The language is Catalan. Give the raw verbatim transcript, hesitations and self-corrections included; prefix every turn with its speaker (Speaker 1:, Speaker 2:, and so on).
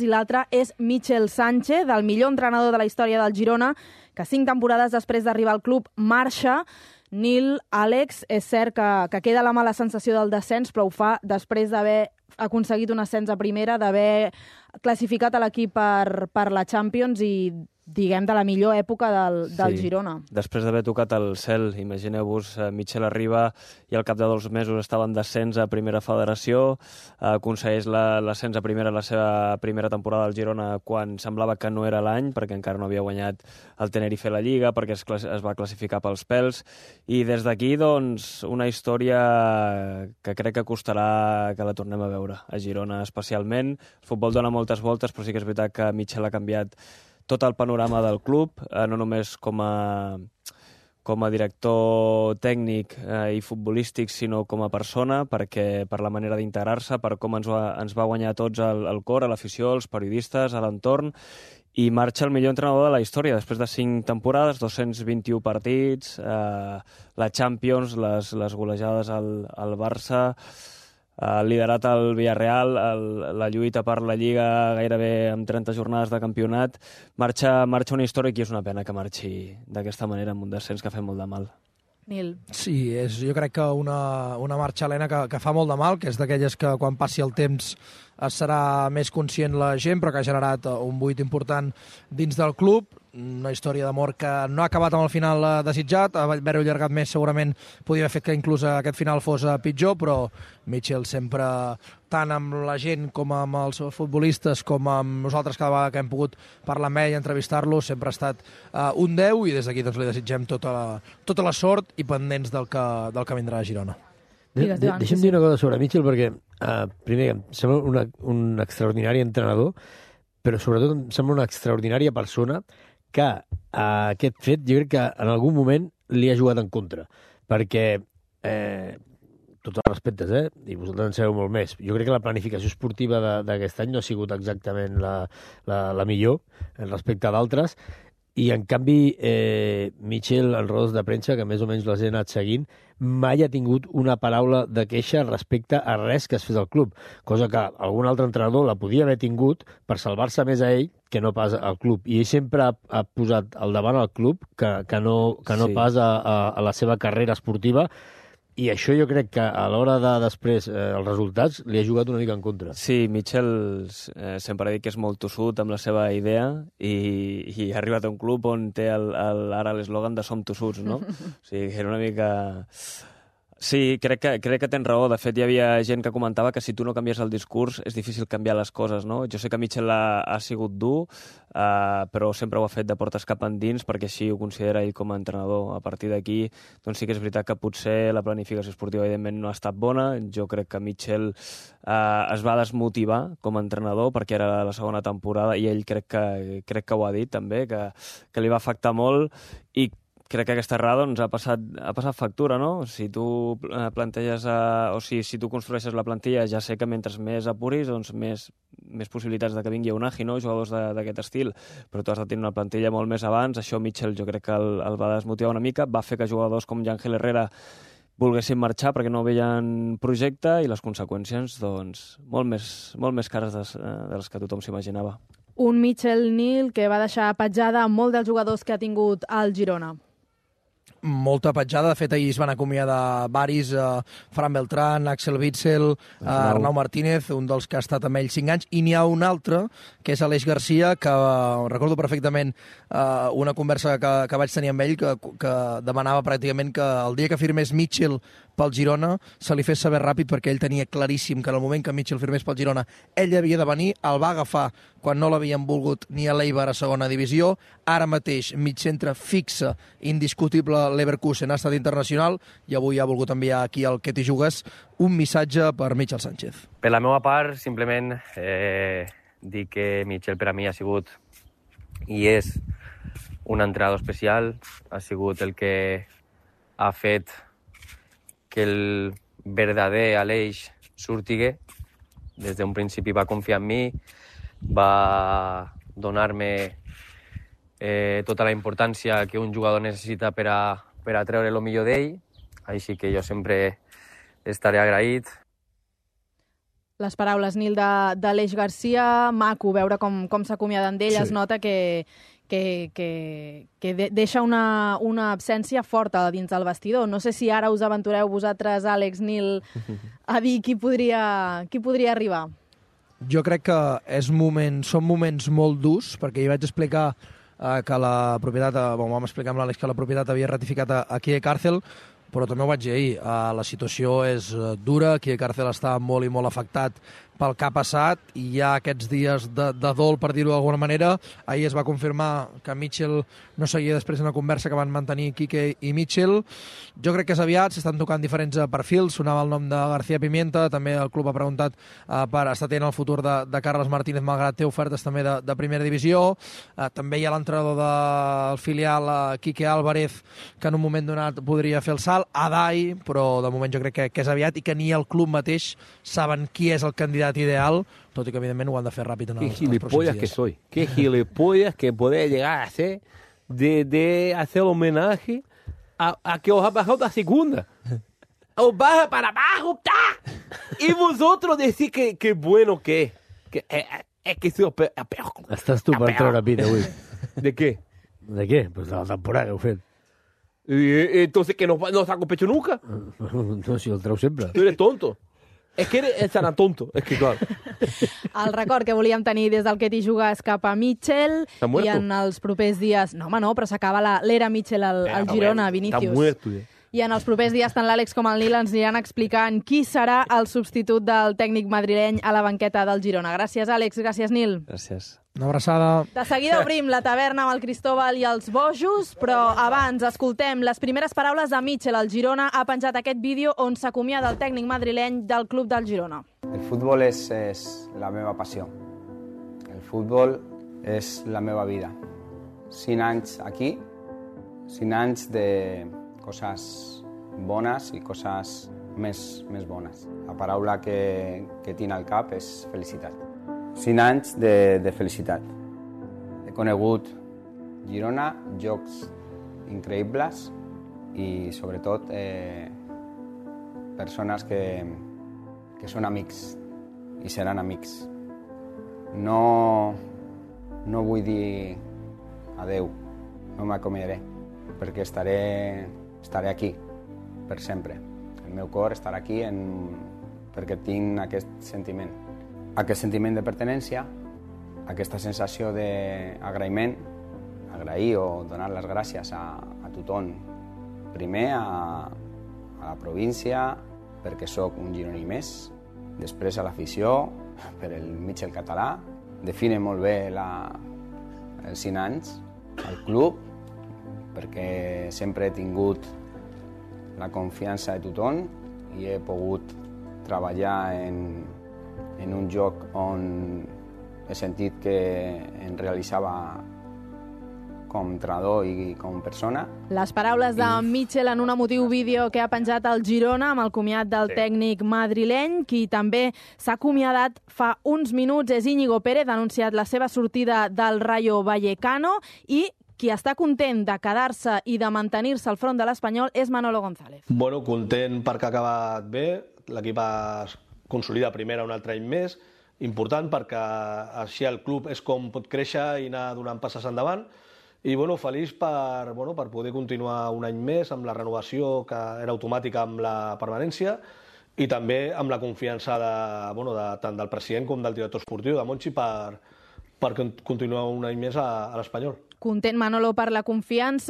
Speaker 1: i l'altre és Michel Sánchez, el millor entrenador de la història del Girona, que cinc temporades després d'arribar al club marxa. Nil, Àlex, és cert que, que queda la mala sensació del descens, però ho fa després d'haver aconseguit un ascens a primera, d'haver classificat a l'equip per, per la Champions i, diguem, de la millor època del, del
Speaker 2: sí.
Speaker 1: Girona.
Speaker 2: Després d'haver tocat el cel, imagineu-vos, Michel arriba i al cap de dos mesos estava en descens a primera federació, aconsegueix l'ascens a primera la seva primera temporada al Girona quan semblava que no era l'any, perquè encara no havia guanyat el Tenerife a la Lliga, perquè es, es va classificar pels pèls, i des d'aquí, doncs, una història que crec que costarà que la tornem a veure a Girona especialment. El futbol dona moltes voltes, però sí que és veritat que Michel ha canviat tot el panorama del club, eh, no només com a, com a director tècnic eh, i futbolístic, sinó com a persona, perquè per la manera d'integrar-se, per com ens va, ens va guanyar a tots el, el cor, a l'afició, als periodistes, a l'entorn, i marxa el millor entrenador de la història, després de cinc temporades, dos-cents vint-i-u partits, eh, la Champions, les, les golejades al, al Barça, ha liderat el Villarreal, el, la lluita per la Lliga gairebé amb trenta jornades de campionat. Marxa, marxa una història i és una pena que marxi d'aquesta manera amb un descens que ha fet molt de mal.
Speaker 1: Nil.
Speaker 3: Sí, és, jo crec que una, una marxa, Helena, que, que fa molt de mal, que és d'aquelles que quan passi el temps serà més conscient la gent, però que ha generat un buit important dins del club. Una història d'amor que no ha acabat amb el final desitjat, haver-ho allargat més segurament podia haver fet que inclús aquest final fos pitjor, però Michel sempre, tant amb la gent com amb els futbolistes, com amb nosaltres cada vegada que hem pogut parlar amb ell i entrevistar-lo, sempre ha estat uh, un deu, i des d'aquí doncs, li desitgem tota la, tota la sort i pendents del que, del que vindrà a Girona.
Speaker 4: De, de, deixa'm dir una cosa sobre Michel, perquè uh, primer em sembla una, un extraordinari entrenador, però sobretot em sembla una extraordinària persona que uh, aquest fet jo crec que en algun moment li ha jugat en contra, perquè eh, tots els respectes, eh? I vosaltres en sabeu molt més. Jo crec que la planificació esportiva d'aquest any no ha sigut exactament la, la, la millor respecte a d'altres, i en canvi eh, Michel, en rodes de premsa, que més o menys les he anat seguint, mai ha tingut una paraula de queixa respecte a res que es fes al club, cosa que algun altre entrenador la podia haver tingut per salvar-se més a ell que no pas al club. I ell sempre ha, ha posat al davant al club que, que no, que no sí. pas a, a, a la seva carrera esportiva, i això jo crec que a l'hora de després eh, els resultats li ha jugat una mica en contra.
Speaker 2: Sí, Michel eh, sempre ha dit que és molt tossut amb la seva idea i, i ha arribat a un club on té el, el, ara l'eslògan de som tossuts, no? O sigui, era una mica... Sí, crec que, crec que tens raó. De fet, hi havia gent que comentava que si tu no canvies el discurs és difícil canviar les coses, no? Jo sé que Michel ha, ha sigut dur, uh, però sempre ho ha fet de portes cap endins perquè així ho considera ell com a entrenador. A partir d'aquí, doncs sí que és veritat que potser la planificació esportiva evidentment no ha estat bona. Jo crec que Michel uh, es va desmotivar com a entrenador perquè era la segona temporada i ell crec que, crec que ho ha dit també, que, que li va afectar molt, i crec que aquesta errada doncs, ha, passat, ha passat factura, no? Si tu planteges, a, o si, si tu construeixes la plantilla, ja sé que mentre més apuris, doncs més, més possibilitats de que vingui un agi, no? Jugadors d'aquest estil, però tu has de tenir una plantilla molt més abans. Això Michel jo crec que el, el va desmotivar una mica, va fer que jugadors com Yángel Herrera volguessin marxar perquè no veien projecte, i les conseqüències doncs, molt, més, molt més cares de, de les que tothom s'imaginava.
Speaker 1: Un Michel, Nil, que va deixar petjada amb molts dels jugadors que ha tingut al Girona.
Speaker 3: Molta petjada. De fet, ahir es van acomiadar varis, uh, Fran Beltrán, Axel Witsel, uh, Arnau Martínez, un dels que ha estat amb ell cinc anys, i n'hi ha un altre, que és Aleix Garcia, que uh, recordo perfectament uh, una conversa que, que vaig tenir amb ell, que, que demanava pràcticament que el dia que firmés Michel pel Girona se li fes saber ràpid, perquè ell tenia claríssim que en el moment que Michel firmés pel Girona ell havia de venir, el va agafar quan no l'havien volgut ni a l'Eibar a segona divisió. Ara mateix migcentre fixa, indiscutible, l'Leverkusen ha estat internacional, i avui ha volgut enviar aquí al Que t'hi jugues un missatge per Michel Sánchez.
Speaker 5: Per la meva part, simplement eh, dir que Michel per a mi ha sigut i és un entrenador especial, ha sigut el que ha fet que el verdader Aleix surtigue. Des d'un principi va confiar en mi, va donar-me eh, tota la importància que un jugador necessita per a, per a treure el millor d'ell, així que jo sempre estaré agraït.
Speaker 1: Les paraules, Nil, d'Aleix Garcia, maco veure com, com s'acomiaden d'ell, sí. Es nota que, que, que, que de, deixa una, una absència forta dins del vestidor. No sé si ara us aventureu vosaltres, Àlex, Nil, a dir qui podria, qui podria arribar.
Speaker 3: Jo crec que és moment, són moments molt durs, perquè hi vaig explicar eh, que la propietat, eh, bon, vam explicar amb l'Àlex que la propietat havia ratificat a, a Kie Càrcel, però també ho vaig dir ahir, uh, la situació és uh, dura, Kie Càrcel està molt i molt afectat pel que ha passat i hi ha aquests dies de, de dol, per dir-ho d'alguna manera. Ahir es va confirmar que Mitchell no seguia després d'una conversa que van mantenir Quique i Mitchell. Jo crec que és aviat, s'estan tocant diferents perfils, sonava el nom de García Pimienta, també el club ha preguntat uh, per estar atent al futur de, de Carles Martínez, malgrat té ofertes també de, de primera divisió. Uh, també hi ha l'entrenador del filial, uh, Quique Álvarez, que en un moment donat podria fer el salt, Adai, però de moment jo crec que, que és aviat i que ni el club mateix saben qui és el candidat ideal, tot i que evidentment ho han de fer ràpid en els, els pròxims dies.
Speaker 6: Que soy, qué gilipollas que poder llegar a ser de, de hacer homenaje a, a que os ha bajado la segunda. Os baja para abajo, ¡ta! Y vosotros decís que, que bueno que es. Que, eh, es que soy peor.
Speaker 4: Estàs tu per treure pit avui.
Speaker 6: ¿De qué?
Speaker 4: De què? Pues de la temporada que heu fet.
Speaker 6: Y, entonces, ¿que no, no saco pecho nunca?
Speaker 4: No, si el treu sempre.
Speaker 6: Tú eres tonto. És que eres el sana tonto, és que clar.
Speaker 1: El record que volíem tenir des del Ketty Juga és cap a Mitchell i en els propers dies... No, home, no, però s'acaba l'era Mitchell al, al Girona, Vinícius.
Speaker 6: Està muerto, ja.
Speaker 1: I en els propers dies tant l'Àlex com el Nil ens aniran explicant qui serà el substitut del tècnic madrileny a la banqueta del Girona. Gràcies, Àlex. Gràcies, Nil.
Speaker 2: Gràcies.
Speaker 3: Una abraçada.
Speaker 1: De seguida obrim la taverna amb el Cristóbal i els bojos, però abans escoltem les primeres paraules de Mitchell. El Girona ha penjat aquest vídeo on s'acomiada el tècnic madrileny del club del Girona.
Speaker 7: El futbol és, és la meva passió. El futbol és la meva vida. Cinc anys aquí, cinc anys de coses bones i coses més, més bones. La paraula que, que tinc al cap és felicitat. Cinc anys de, de felicitat. He conegut Girona, jocs increïbles i, sobretot, eh, persones que, que són amics i seran amics. No, no vull dir adeu, no m'acomiadaré, perquè estaré, estaré aquí per sempre. El meu cor estarà aquí en, perquè tinc aquest sentiment. Aquest sentiment de pertinença, aquesta sensació d'agraïment, agrair o donar les gràcies a, a tothom. Primer a, a la província, perquè sóc un gironí més, després a l'afició, per el Mitchell català, define molt bé la, els cinc anys, al club, perquè sempre he tingut la confiança de tothom i he pogut treballar en en un joc on he sentit que em realitzava com entrenador i com persona.
Speaker 1: Les paraules de Mitchell en un emotiu vídeo que ha penjat al Girona amb el comiat del sí. tècnic madrileny, qui també s'ha acomiadat fa uns minuts és Íñigo Pérez, ha anunciat la seva sortida del Rayo Vallecano i qui està content de quedar-se i de mantenir-se al front de l'Espanyol és Manolo González.
Speaker 8: Bueno, content perquè ha acabat bé, l'equip es consolida primera un altre any més, important perquè així el club és com pot créixer i anar donant passes endavant i bueno, feliç per, bueno, per poder continuar un any més amb la renovació que era automàtica amb la permanència i també amb la confiança de, bueno, de, tant del president com del director esportiu, de Monchi, per, per continuar un any més a, a l'Espanyol.
Speaker 1: Content Manolo per la confiança.